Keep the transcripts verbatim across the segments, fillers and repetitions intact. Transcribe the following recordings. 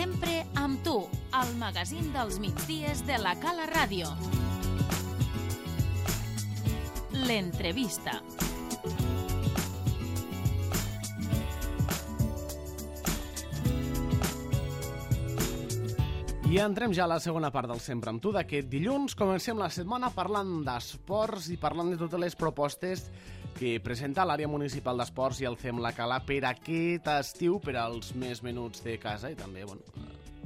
Sempre amb tu, al magazín dels migdies de la Cala Ràdio. L'entrevista. I entrem ja a la segona part del Sempre amb tu d'aquest dilluns. Comencem la setmana parlant d'esports i parlant de totes les propostes que presenta l'àrea municipal d'esports i el C E M La Cala per aquest estiu, per als més menuts de casa i també, bueno,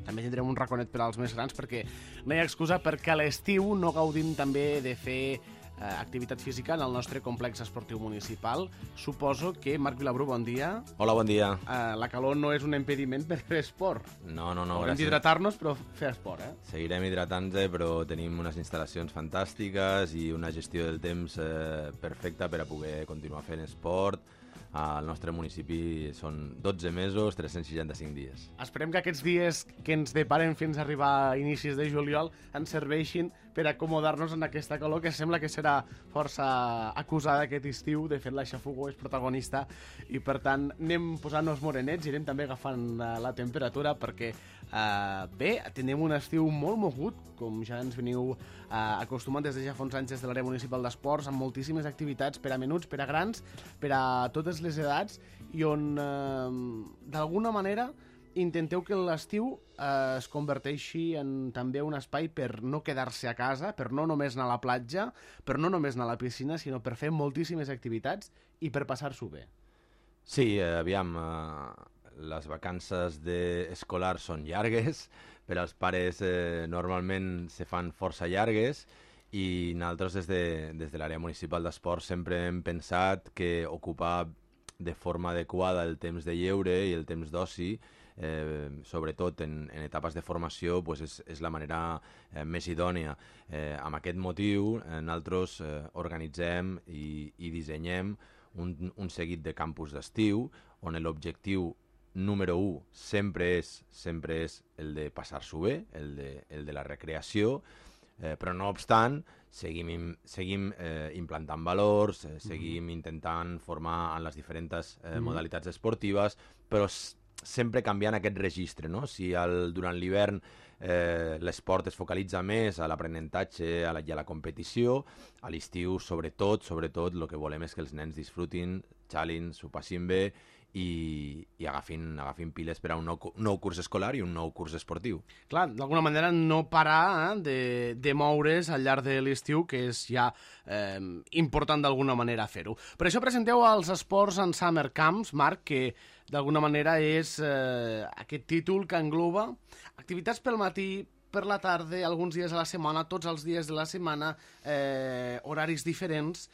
també tindrem un raconet per als més grans perquè no hi ha excusa perquè a l'estiu no gaudim també de fer eh, activitat física en el nostre complex esportiu municipal. Suposo que, Marc Vilabrú, bon dia. Hola, bon dia. Eh, la calor no és un impediment per fer esport. No, no, no. Haurem d'hidratar-nos, però fer esport, eh? Seguirem hidratant-nos, però tenim unes instal·lacions fantàstiques i una gestió del temps eh, perfecta per a poder continuar fent esport. Al nostre municipi són dotze mesos, tres-cents seixanta-cinc dies. Esperem que aquests dies que ens deparen fins a arribar a inicis de juliol ens serveixin per acomodar-nos en aquesta calor que sembla que serà força acusada aquest estiu. De fet, la xafogó és protagonista i, per tant, anem posant-nos morenets i anem també agafant la temperatura perquè, eh, bé, tenim un estiu molt mogut, com ja ens veniu eh, acostumant des de ja fa uns anys des de l'àrea municipal d'esports, amb moltíssimes activitats per a menuts, per a grans, per a totes les edats, i on, eh, d'alguna manera, intenteu que l'estiu eh, es converteixi en també un espai per no quedar-se a casa, per no només anar a la platja, per no només anar a la piscina, sinó per fer moltíssimes activitats i per passar-s'ho bé. Sí, eh, aviam, eh, les vacances escolars són llargues, per als pares eh, normalment se fan força llargues, i nosaltres des de, des de l'àrea municipal d'esports sempre hem pensat que ocupar de forma adequada el temps de lleure i el temps d'oci, eh, sobretot en, en etapes de formació, pues és, és la manera eh, més idònia. Eh, amb aquest motiu, eh, nosaltres eh, organitzem i, i dissenyem un, un seguit de campus d'estiu, on l'objectiu número u sempre és, sempre és el de passar-s'ho bé, el de, el de la recreació, Eh, però no obstant, seguim, seguim eh, implantant valors, eh, seguim intentant formar en les diferents eh, mm-hmm. modalitats esportives, però s- sempre canviant aquest registre, no? Si el, durant l'hivern eh, l'esport es focalitza més a l'aprenentatge a la, i a la competició, a l'estiu, sobretot, sobretot, el que volem és que els nens disfrutin, xalin, s'ho passin bé, i, i agafin, agafin piles per a un nou, nou curs escolar i un nou curs esportiu. Clar, d'alguna manera no parar eh, de, de moure's al llarg de l'estiu, que és ja eh, important d'alguna manera fer-ho. Per això presenteu els esports en Summer Camps, Marc, que d'alguna manera és eh, aquest títol que engloba activitats pel matí, per la tarda, alguns dies a la setmana, tots els dies de la setmana, eh, horaris diferents,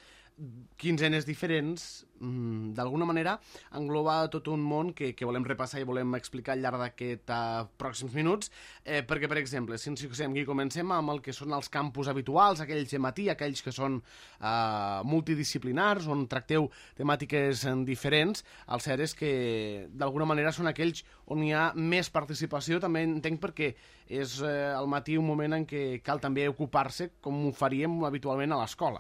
quinzenes diferents, mm, d'alguna manera engloba tot un món que, que volem repassar i volem explicar al llarg d'aquests uh, pròxims minuts, eh, perquè, per exemple, si ens fixem aquí, comencem amb el que són els campus habituals, aquells de matí, aquells que són uh, multidisciplinars, on tracteu temàtiques diferents. El cert és que, d'alguna manera, són aquells on hi ha més participació, també entenc perquè és eh, al matí un moment en què cal també ocupar-se, com ho faríem habitualment a l'escola.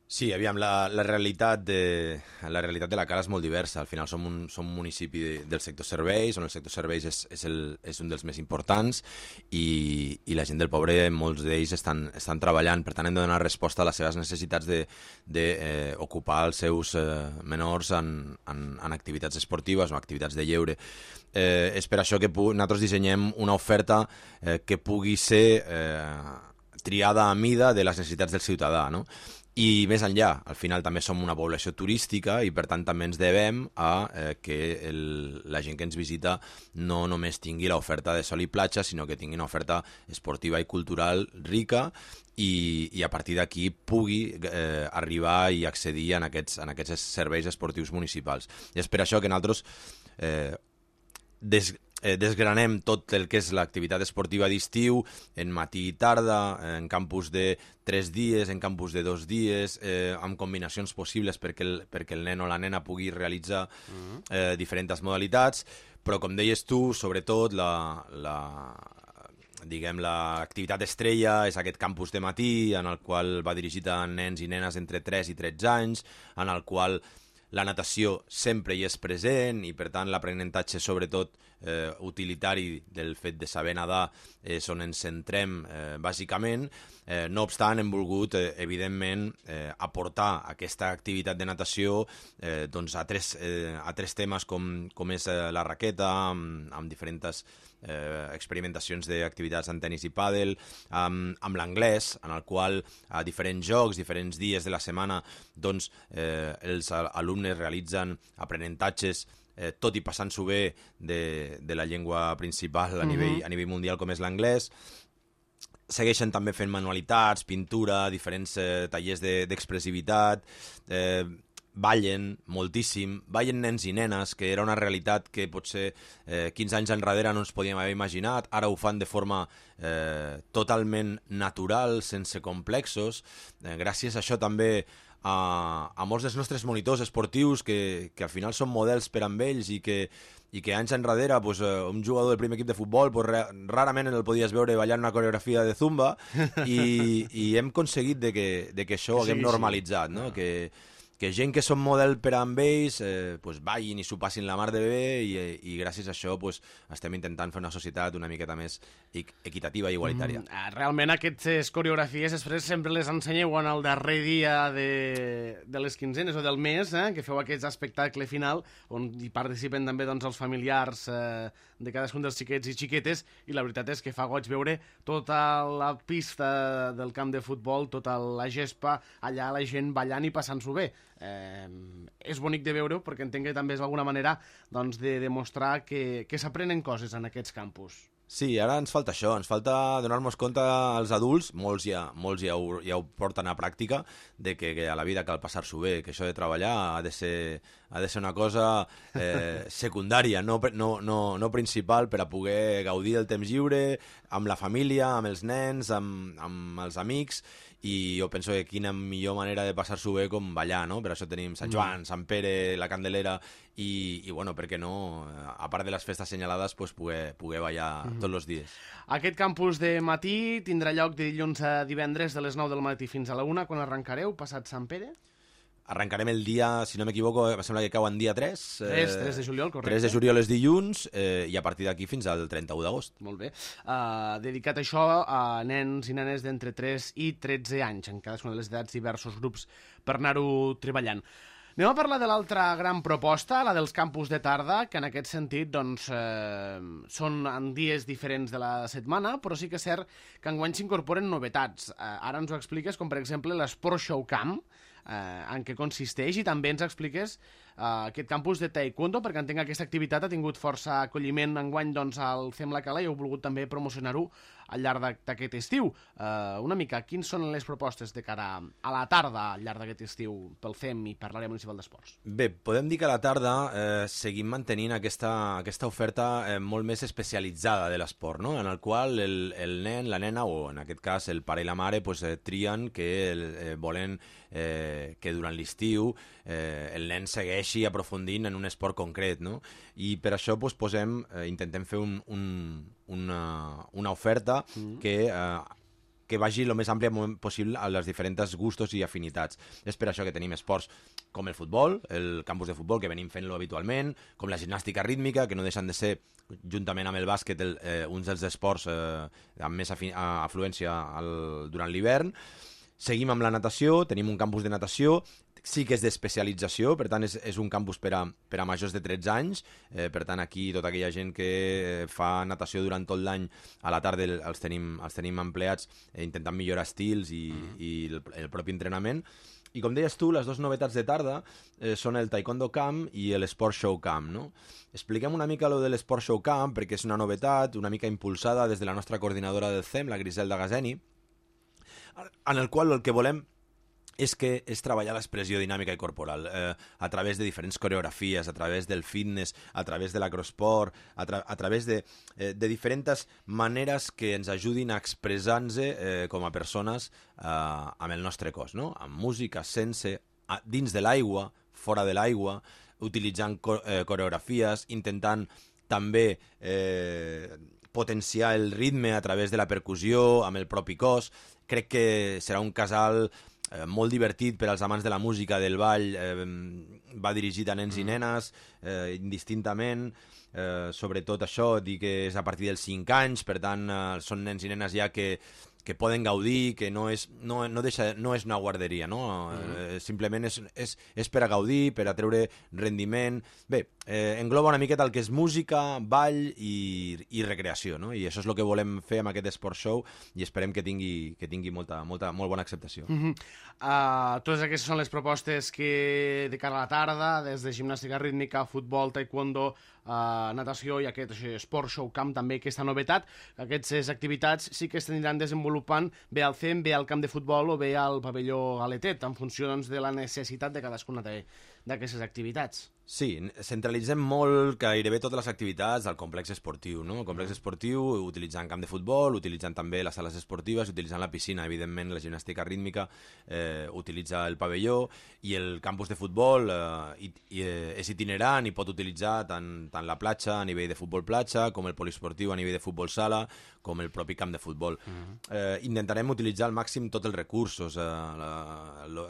Sí, aviam, la, la, realitat de, la realitat de la Cala és molt diversa. Al final som un, som un municipi de, del sector serveis, on el sector serveis és, és, el, és un dels més importants i, i la gent del poble, molts d'ells estan, estan treballant, per tant hem de donar resposta a les seves necessitats d'ocupar de, de, eh, els seus eh, menors en, en, en activitats esportives o activitats de lleure. Eh, és per això que pu- nosaltres dissenyem una oferta eh, que pugui ser eh, triada a mida de les necessitats del ciutadà, no? I més enllà, al final també som una població turística i per tant també ens devem a eh, que el, la gent que ens visita no només tingui l'oferta de sol i platja, sinó que tingui una oferta esportiva i cultural rica i, i a partir d'aquí pugui eh, arribar i accedir en aquests, en aquests serveis esportius municipals. I és per això que nosaltres eh, des, eh, desgranem tot el que és l'activitat esportiva d'estiu en matí i tarda, en campus de tres dies, en campus de dos dies, eh, amb combinacions possibles perquè el, perquè el nen o la nena pugui realitzar eh, diferents modalitats, però com deies tu, sobretot la... la diguem, l'activitat estrella és aquest campus de matí, en el qual va dirigit a nens i nenes entre tres i tretze anys, en el qual la natació sempre hi és present i, per tant, l'aprenentatge, sobretot, eh, utilitari del fet de saber nedar és on ens centrem eh, bàsicament. Eh, no obstant, hem volgut, eh, evidentment, eh, aportar aquesta activitat de natació eh, doncs a, tres, eh, a tres temes com, com és eh, la raqueta, amb, amb diferents eh, experimentacions d'activitats en tenis i pàdel, amb, amb l'anglès, en el qual a diferents jocs, diferents dies de la setmana, doncs, eh, els alumnes realitzen aprenentatges eh, tot i passant-s'ho bé de, de la llengua principal a, uh-huh. nivell, a nivell mundial com és l'anglès. Segueixen també fent manualitats, pintura, diferents eh, tallers d'expressivitat, de, eh, ballen moltíssim, ballen nens i nenes, que era una realitat que potser eh, quinze anys enrere no ens podíem haver imaginat, ara ho fan de forma eh, totalment natural, sense complexos. Eh, gràcies a això també a, a molts dels nostres monitors esportius que, que al final són models per amb ells i que i que anys enrere pues, un jugador del primer equip de futbol pues, rarament el podies veure ballant una coreografia de zumba i, i hem aconseguit de que, de que això ho haguem sí, normalitzat, sí. No? Que, que gent que són model per amb ells eh, pues, ballin i s'ho passin la mar de bé i, i gràcies a això pues, estem intentant fer una societat una miqueta més equitativa i igualitària. Mm, realment aquestes coreografies després sempre les ensenyeu en el darrer dia de, de les quinzenes o del mes, eh, que feu aquest espectacle final on hi participen també doncs, els familiars eh, de cadascun dels xiquets i xiquetes i la veritat és que fa goig veure tota la pista del camp de futbol, tota la gespa, allà la gent ballant i passant-s'ho bé. Eh, és bonic de veure-ho perquè entenc que també és alguna manera doncs, de demostrar que, que s'aprenen coses en aquests campus. Sí, ara ens falta això, ens falta donar-nos compte als adults, molts ja, molts ja, ho, ja ho porten a pràctica, de que, que a la vida cal passar-s'ho bé, que això de treballar ha de ser, ha de ser una cosa eh, secundària, no, no, no, no principal per a poder gaudir del temps lliure, amb la família, amb els nens, amb, amb els amics, i jo penso que quina millor manera de passar-s'ho bé com ballar, no? Per això tenim Sant Joan, Sant Pere, la Candelera i, i bueno, per què no, a part de les festes assenyalades, pues, poder, poder ballar mm. tots els dies. Aquest campus de matí tindrà lloc de dilluns a divendres de les nou del matí fins a la una, quan arrencareu, passat Sant Pere? Arrencarem el dia, si no m'equivoco, em sembla que cau en dia tres. tres, eh, tres de juliol, correcte. tres de juliol és dilluns eh, i a partir d'aquí fins al trenta-u d'agost. Molt bé. Uh, dedicat a això a nens i nenes d'entre tres i tretze anys, en cadascuna de les edats diversos grups per anar-ho treballant. Anem a parlar de l'altra gran proposta, la dels campus de tarda, que en aquest sentit doncs, eh, són en dies diferents de la setmana, però sí que és cert que enguany s'incorporen novetats. Eh, ara ens ho expliques, com per exemple l'Sport Show Camp, eh, en què consisteix, i també ens expliques eh, aquest campus de taekwondo, perquè entenc que aquesta activitat ha tingut força acolliment enguany doncs, al C E M La Cala i heu volgut també promocionar-ho al llarg d'aquest estiu. Uh, una mica, quins són les propostes de cara a la tarda al llarg d'aquest estiu pel C E M i per l'àrea municipal d'esports? Bé, podem dir que a la tarda eh, seguim mantenint aquesta, aquesta oferta eh, molt més especialitzada de l'esport, no? En el qual el, el nen, la nena, o en aquest cas el pare i la mare, pues, eh, trien que el, eh, volen eh, que durant l'estiu eh, el nen segueixi aprofundint en un esport concret, no? I per això pues, posem, eh, intentem fer un, un, una, una oferta mm. que, eh, que vagi el més àmplia possible a les diferents gustos i afinitats. És per això que tenim esports com el futbol, el campus de futbol, que venim fent-lo habitualment, com la gimnàstica rítmica, que no deixen de ser, juntament amb el bàsquet, el, eh, uns dels esports eh, amb més afluència al, durant l'hivern. Seguim amb la natació, tenim un campus de natació, sí que és d'especialització, per tant és, és un campus per a, per a majors de tretze anys, eh, per tant aquí tota aquella gent que fa natació durant tot l'any a la tarda els tenim, els tenim empleats eh, intentant millorar estils i, mm. i el, el propi entrenament. I com deies tu, les dues novetats de tarda eh, són el Taekwondo Camp i l'Sport Show Camp, no? Expliquem una mica lo de l'Sport Show Camp perquè és una novetat, una mica impulsada des de la nostra coordinadora del C E M, la Griselda Gazeni, en el qual el que volem és que és treballar l'expressió dinàmica i corporal eh, a través de diferents coreografies, a través del fitness, a través de l'acrosport, a, tra a través de, eh, de diferents maneres que ens ajudin a expressar-nos eh, com a persones eh, amb el nostre cos, no? Amb música, sense, a, dins de l'aigua, fora de l'aigua, utilitzant co eh, coreografies, intentant també eh, potenciar el ritme a través de la percussió, amb el propi cos. Crec que serà un casal eh, molt divertit per als amants de la música, del ball, eh, va dirigit a nens i nenes, eh, indistintament, eh, sobretot això, dir que és a partir dels cinc anys, per tant, eh, són nens i nenes ja que que poden gaudir, que no és, no, no deixa, no és una guarderia, no? Mm. Eh, simplement és, és, és per a gaudir, per a treure rendiment. Bé, eh, engloba una miqueta el que és música, ball i, i recreació, no? I això és el que volem fer amb aquest Sport Show i esperem que tingui, que tingui molta, molta, molt bona acceptació. Mm -hmm. uh, totes aquestes són les propostes que de cara a la tarda, des de gimnàstica rítmica, futbol, taekwondo, Uh, natació i aquest Sport Show Camp també, aquesta novetat. Aquestes activitats sí que s'aniran desenvolupant bé al C E M, bé al camp de futbol o bé al pavelló Aletet, en funció doncs, de la necessitat de cadascuna d'aquestes activitats. Sí, centralitzem molt gairebé totes les activitats al complex esportiu, no? El complex esportiu utilitzant camp de futbol, utilitzant també les sales esportives, utilitzant la piscina, evidentment la gimnàstica rítmica eh, utilitza el pavelló i el campus de futbol eh, i, i, eh, és itinerant i pot utilitzar tant, tant la platja a nivell de futbol platja com el poliesportiu a nivell de futbol sala com el propi camp de futbol. Uh-huh. eh, intentarem utilitzar al màxim tots els recursos, eh, la, lo,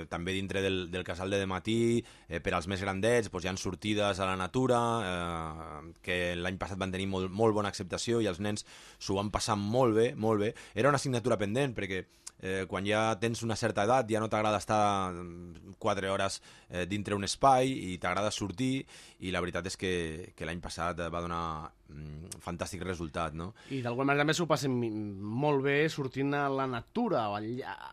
també dintre del, del casal de matí, eh, per als més grandets, doncs hi ha sortides a la natura, eh, que l'any passat van tenir molt, molt bona acceptació i els nens s'ho van passar molt bé, molt bé. Era una assignatura pendent, perquè eh, quan ja tens una certa edat ja no t'agrada estar quatre hores eh, dintre un espai i t'agrada sortir, i la veritat és que, que l'any passat va donar un fantàstic resultat, no? I d'alguna manera també s'ho passen molt bé sortint a la natura, a,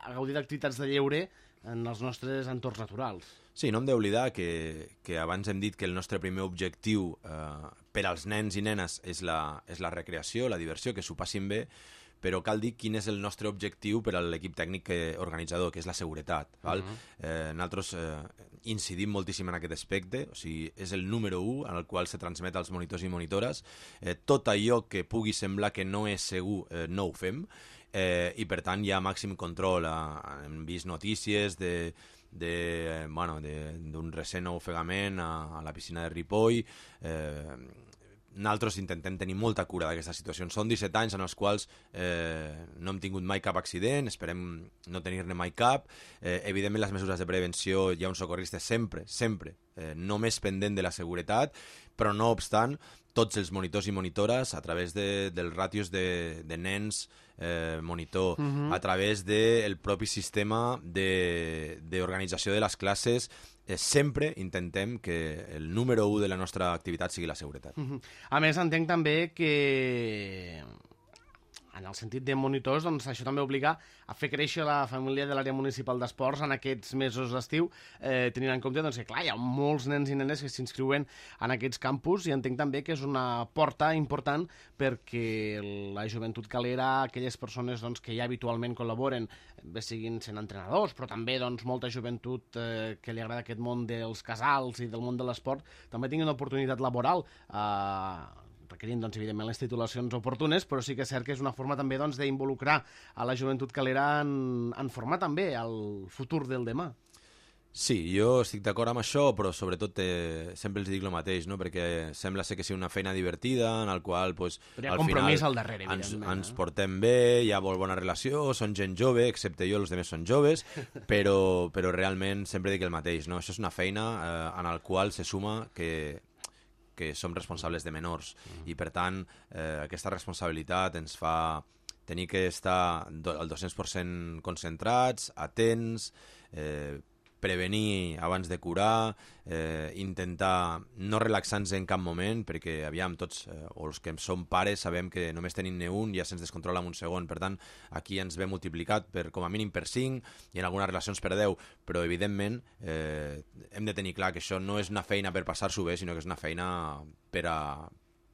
a gaudir d'activitats de lleure en els nostres entorns naturals. Sí, no hem d'oblidar que, que abans hem dit que el nostre primer objectiu eh, per als nens i nenes és la, és la recreació, la diversió, que s'ho passin bé, però cal dir quin és el nostre objectiu per a l'equip tècnic organitzador, que és la seguretat. Val? Uh-huh. eh, nosaltres eh, incidim moltíssim en aquest aspecte, o sigui, és el número u en el qual se transmet als monitors i monitores. Eh, tot allò que pugui semblar que no és segur eh, no ho fem, eh, i per tant hi ha màxim control. Eh, hem vist notícies de de, bueno, d'un recent ofegament a, a la piscina de Ripoll. Eh, nosaltres intentem tenir molta cura d'aquestes situacions. Són disset anys en els quals eh, no hem tingut mai cap accident, esperem no tenir-ne mai cap. Eh, evidentment, les mesures de prevenció, hi ha un socorrista sempre, sempre, eh, només pendent de la seguretat, però no obstant, tots els monitors i monitores, a través de, dels ràtios de, de nens eh, monitor, uh-huh. a través del propi sistema d'organització de, de les classes, eh, sempre intentem que el número u de la nostra activitat sigui la seguretat. Uh-huh. A més, entenc també que en el sentit de monitors, doncs això també obliga a fer créixer la família de l'àrea municipal d'esports en aquests mesos d'estiu, eh, tenint en compte doncs, que clar, hi ha molts nens i nenes que s'inscriuen en aquests campus, i entenc també que és una porta important perquè la joventut calera, aquelles persones doncs, que ja habitualment col·laboren, bé siguin sent entrenadors, però també doncs, molta joventut eh, que li agrada aquest món dels casals i del món de l'esport, també tinguin una oportunitat laboral eh, requerint, doncs, evidentment, les titulacions oportunes, però sí que és cert que és una forma també doncs, d'involucrar a la joventut calera en, en formar també el futur del demà. Sí, jo estic d'acord amb això, però sobretot eh, sempre els dic el mateix, no? Perquè sembla ser que sigui una feina divertida, en el qual pues, però hi ha al compromís final al darrere, ens, evidentment. ens portem bé, hi ha molt bona relació, són gent jove, excepte jo, els altres són joves, però, però realment sempre dic el mateix, no? Això és una feina eh, en el qual se suma que que som responsables de menors, mm. i per tant eh, aquesta responsabilitat ens fa tenir que estar do, al dos-cents per cent concentrats, atents, eh, prevenir abans de curar, eh, intentar no relaxar-nos en cap moment, perquè aviam tots, eh, o els que som pares, sabem que només tenim un, ja se'ns descontrola en un segon, per tant aquí ens ve multiplicat per com a mínim per cinc i en algunes relacions per deu, però evidentment eh, hem de tenir clar que això no és una feina per passar-s'ho bé, sinó que és una feina per a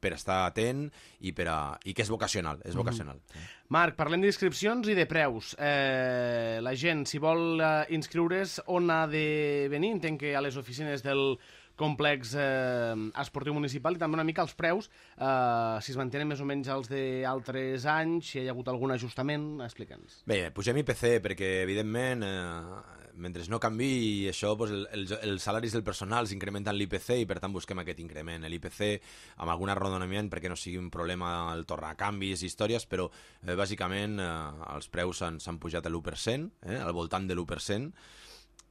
per estar atent i, per a, i que és vocacional, és vocacional. Mm. Marc, parlem d'inscripcions i de preus. Eh, la gent, si vol eh, inscriure's, on ha de venir? Entenc que a les oficines del complex eh, esportiu municipal, i també una mica els preus, eh, si es mantenen més o menys els d'altres anys, si hi ha hagut algun ajustament, explica'ns. Bé, pugem I P C perquè, evidentment, eh, mentre no canvi això, pues, el, el, els salaris del personal s'incrementen l'I P C i per tant busquem aquest increment. L'I P C amb algun arrodonament perquè no sigui un problema el tornacanvis i històries, però eh, bàsicament eh, els preus s'han pujat a l'u per cent, eh, al voltant de l'u per cent,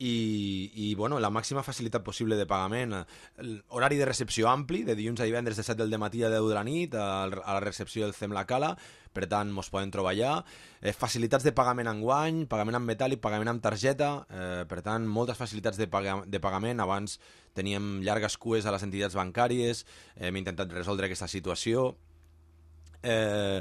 i, i bueno, la màxima facilitat possible de pagament, horari de recepció ampli, de dilluns a divendres de set del matí a deu de la nit, a, a la recepció del C E M La Cala, per tant, mos poden trobar allà. Eh, facilitats de pagament en guany, pagament en metàl·lic, pagament amb targeta, eh, per tant, moltes facilitats de, paga de pagament. Abans teníem llargues cues a les entitats bancàries, eh, hem intentat resoldre aquesta situació. Eh,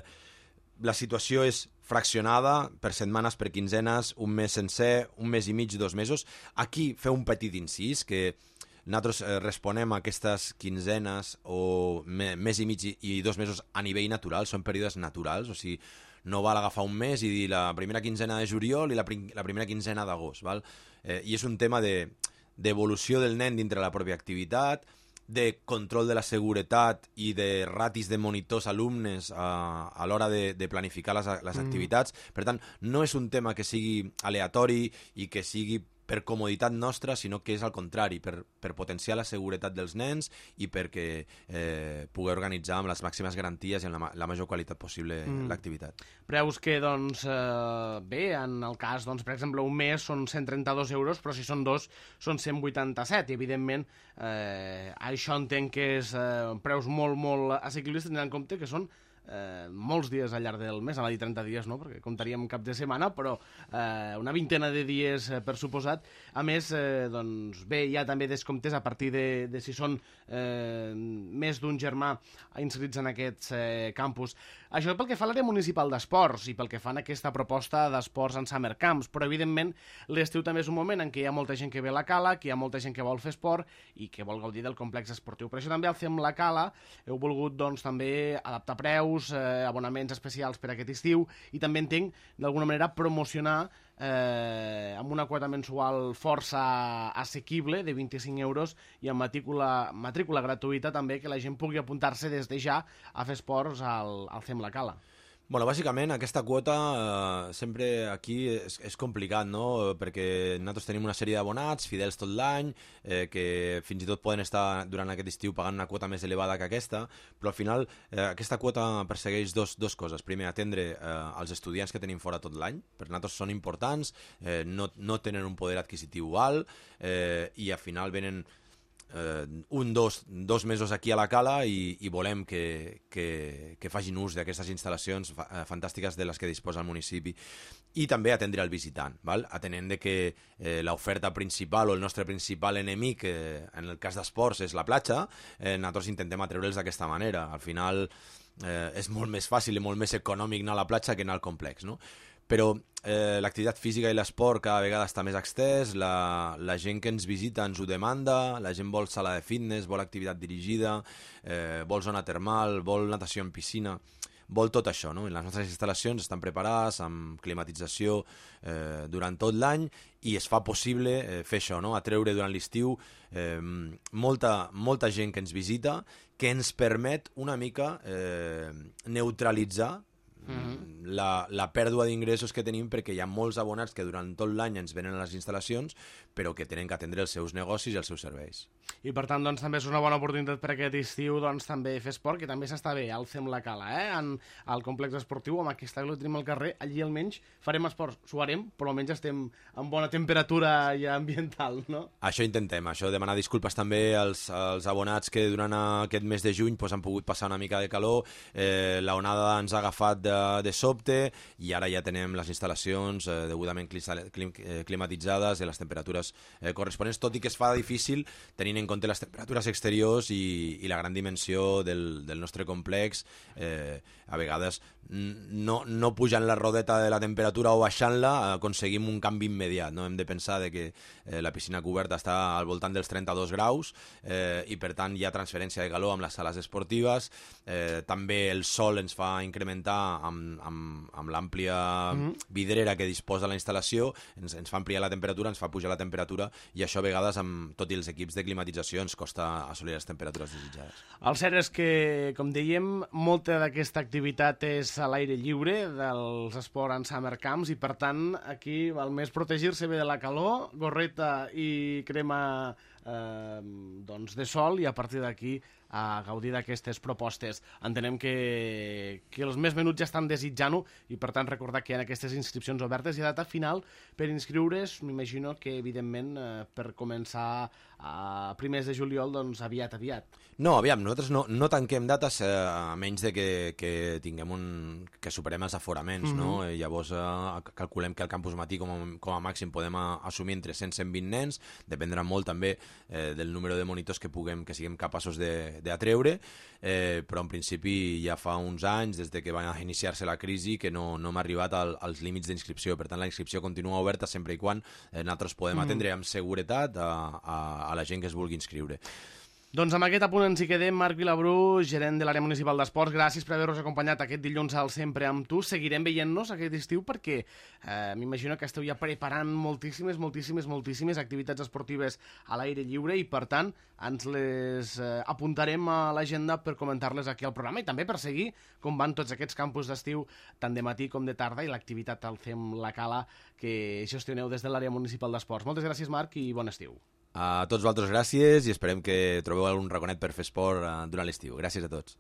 la situació és fraccionada per setmanes, per quinzenes, un mes sencer, un mes i mig, dos mesos. Aquí feu un petit incís, que nosaltres eh, responem a aquestes quinzenes o me, mes i mig i dos mesos a nivell natural, són períodes naturals, o sigui, no val agafar un mes i dir la primera quinzena de juliol i la, prim la primera quinzena d'agost, val? Eh, i és un tema d'evolució de, del nen dintre la pròpia activitat, de control de la seguretat i de ratis de monitors alumnes a, a l'hora de, de planificar les, les mm. activitats. Per tant, no és un tema que sigui aleatori i que sigui per comoditat nostra, sinó que és al contrari, per, per potenciar la seguretat dels nens i perquè eh, pugui organitzar amb les màximes garanties i amb la, la major qualitat possible mm. l'activitat. Preus que, doncs, eh, bé, en el cas, doncs, per exemple, un mes són cent trenta-dos euros, però si són dos són cent vuitanta-set, i evidentment eh, això entenc que és eh, preus molt, molt assequibles, tenint en compte que són Eh, molts dies al llarg del mes, anava a dir trenta dies, no? Perquè comptaríem cap de setmana, però eh, una vintena de dies eh, per suposat. A més, eh, doncs bé, hi ha també descomptes a partir de, de si són eh, més d'un germà inscrits en aquests eh, campus. Això pel que fa a l'àrea municipal d'esports i pel que fan a aquesta proposta d'esports en summer camps, però evidentment l'estiu també és un moment en què hi ha molta gent que ve a la Cala, que hi ha molta gent que vol fer esport i que vol gaudir del complex esportiu. Per això també al C E M La Cala heu volgut doncs també adaptar preus, eh, abonaments especials per aquest estiu i també entenc d'alguna manera promocionar eh, amb una quota mensual força assequible de vint-i-cinc euros i amb matrícula, matrícula gratuïta també, que la gent pugui apuntar-se des de ja a fer esports al, al C E M La Cala. Bueno, bàsicament aquesta quota eh, sempre aquí és, és complicat, no? Perquè nosaltres tenim una sèrie d'abonats fidels tot l'any, eh, que fins i tot poden estar durant aquest estiu pagant una quota més elevada que aquesta, però al final eh, aquesta quota persegueix dos, dos coses. Primer, atendre eh, els estudiants que tenim fora tot l'any, per nosaltres són importants, eh, no, no tenen un poder adquisitiu alt eh, i al final venen Eh, un, dos, dos mesos aquí a la Cala i, i volem que, que, que facin ús d'aquestes instal·lacions fa, eh, fantàstiques de les que disposa el municipi, i també atendre el visitant, val? Atenent de que eh, l'oferta principal o el nostre principal enemic eh, en el cas d'esports és la platja, eh, nosaltres intentem atreure'ls d'aquesta manera. Al final eh, és molt més fàcil i molt més econòmic anar a la platja que anar al complex, no? Però eh, l'activitat física i l'esport cada vegada està més extès, la, la gent que ens visita ens ho demanda, la gent vol sala de fitness, vol activitat dirigida, eh, vol zona termal, vol natació en piscina, vol tot això, no? Les nostres instal·lacions estan preparades amb climatització eh, durant tot l'any i es fa possible eh, fer això, no? Atreure durant l'estiu eh, molta, molta gent que ens visita, que ens permet una mica eh, neutralitzar Mm-hmm. la, la pèrdua d'ingressos que tenim, perquè hi ha molts abonats que durant tot l'any ens venen a les instal·lacions però que tenen que atendre els seus negocis i els seus serveis. I per tant, doncs, també és una bona oportunitat per aquest estiu, doncs, també fer esport, que també s'està bé al C E M La Cala, eh? En, al complex esportiu, amb aquesta que tenim al carrer, allí almenys farem esport, suarem, però almenys estem en bona temperatura ja ambiental, no? Això intentem, això, demanar disculpes també als, als abonats que durant aquest mes de juny pues, han pogut passar una mica de calor, eh, la onada ens ha agafat de, de sobte i ara ja tenem les instal·lacions eh, degudament clim, eh, climatitzades i les temperatures eh, corresponents, tot i que es fa difícil tenint en compte les temperatures exteriors i, i la gran dimensió del, del nostre complex. Eh, a vegades no, no pujant la rodeta de la temperatura o baixant-la aconseguim un canvi immediat, no? Hem de pensar de que eh, la piscina coberta està al voltant dels trenta-dos graus eh, i per tant hi ha transferència de calor amb les sales esportives, eh, també el sol ens fa incrementar amb, amb, amb l'àmplia mm-hmm. vidrera que disposa la instal·lació, ens, ens fa ampliar la temperatura, ens fa pujar la temperatura, i això a vegades, amb tot i els equips de climatització, ens costa assolir les temperatures desitjades. El cert és que, com dèiem, molta d'aquesta activitat és a l'aire lliure dels Sport and Summer Camps, i per tant aquí val més protegir-se bé de la calor, gorreta i crema eh, doncs de sol, i a partir d'aquí a gaudir d'aquestes propostes. Entenem que, que els més menuts ja estan desitjant-ho, i per tant recordar que hi ha aquestes inscripcions obertes i a data final per inscriure's, m'imagino que evidentment eh, per començar a primers de juliol, doncs aviat, aviat. No, aviam, nosaltres no, no tanquem dates eh, a menys de que, que tinguem un... que superem els aforaments, mm-hmm. no? Llavors eh, calculem que al campus matí com a, com a màxim podem a, assumir entre cent i cent vint nens, dependrà molt també eh, del número de monitors que puguem, que siguem capaços de d'atreure, eh, però en principi ja fa uns anys, des de que va iniciar-se la crisi, que no, no hem arribat al, als límits d'inscripció. Per tant, la inscripció continua oberta sempre i quan eh, nosaltres podem atendre amb seguretat a, a, a la gent que es vulgui inscriure. Doncs amb aquest apunt ens hi quedem. Marc Vilabrú, gerent de l'àrea municipal d'esports, gràcies per haver-nos acompanyat aquest dilluns al Sempre amb tu. Seguirem veient-nos aquest estiu perquè eh, m'imagino que esteu ja preparant moltíssimes, moltíssimes, moltíssimes activitats esportives a l'aire lliure, i per tant ens les eh, apuntarem a l'agenda per comentar-les aquí al programa, i també per seguir com van tots aquests campus d'estiu, tant de matí com de tarda, i l'activitat al Fem la Cala que gestioneu des de l'àrea municipal d'esports. Moltes gràcies, Marc, i bon estiu. A tots vosaltres gràcies, i esperem que trobeu algun raconet per fer esport durant l'estiu. Gràcies a tots.